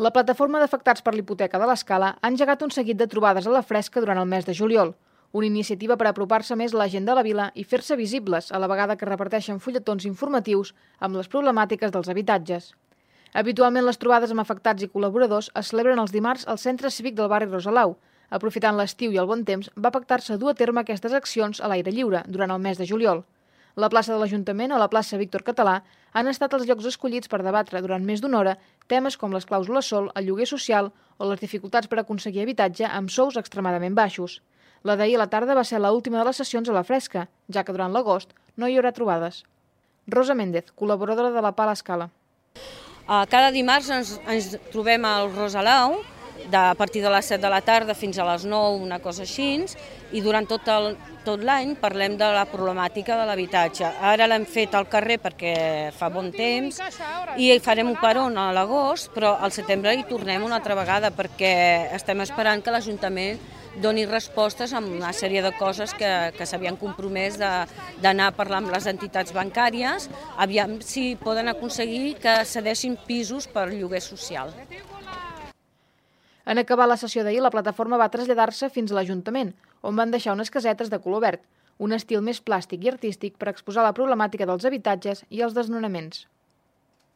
La plataforma d'afectats per l'hipoteca de l'Escala ha engegat un seguit de trobades a la fresca durant el mes de juliol, una iniciativa per apropar-se més a la gent de la vila i fer-se visibles a la vegada que reparteixen fulletons informatius amb les problemàtiques dels habitatges. Habitualment les trobades amb afectats i col·laboradors es celebren els dimarts al Centre Cívic del barri Rosalau. Aprofitant l'estiu i el bon temps, va pactar-se dur a terme aquestes accions a l'aire lliure durant el mes de juliol. La plaça de l'Ajuntament o la plaça Víctor Català han estat els llocs escollits per debatre durant més d'una hora temes com les clàusules sol, el lloguer social o les dificultats per aconseguir habitatge amb sous extremadament baixos. La d'ahir a la tarda va ser l'última de les sessions a la fresca, ja que durant l'agost no hi haurà trobades. Rosa Méndez, col·laboradora de la PA L'Escala. Cada dimarts ens trobem al Rosalau, a partir de les 7 de la tarda fins a les 9, una cosa així, i durant tot l'any parlem de la problemàtica de l'habitatge. Ara l'hem fet al carrer perquè fa bon temps i farem un peron a l'agost, però al setembre hi tornem una altra vegada perquè estem esperant que l'Ajuntament doni respostes a una sèrie de coses que s'havien compromès d'anar a parlar amb les entitats bancàries, aviam si poden aconseguir que cedeixin pisos per lloguer social. En acabar la sessió d'ahir, la plataforma va traslladar-se fins a l'Ajuntament, on van deixar unes casetes de color verd, un estil més plàstic i artístic per exposar la problemàtica dels habitatges i els desnonaments.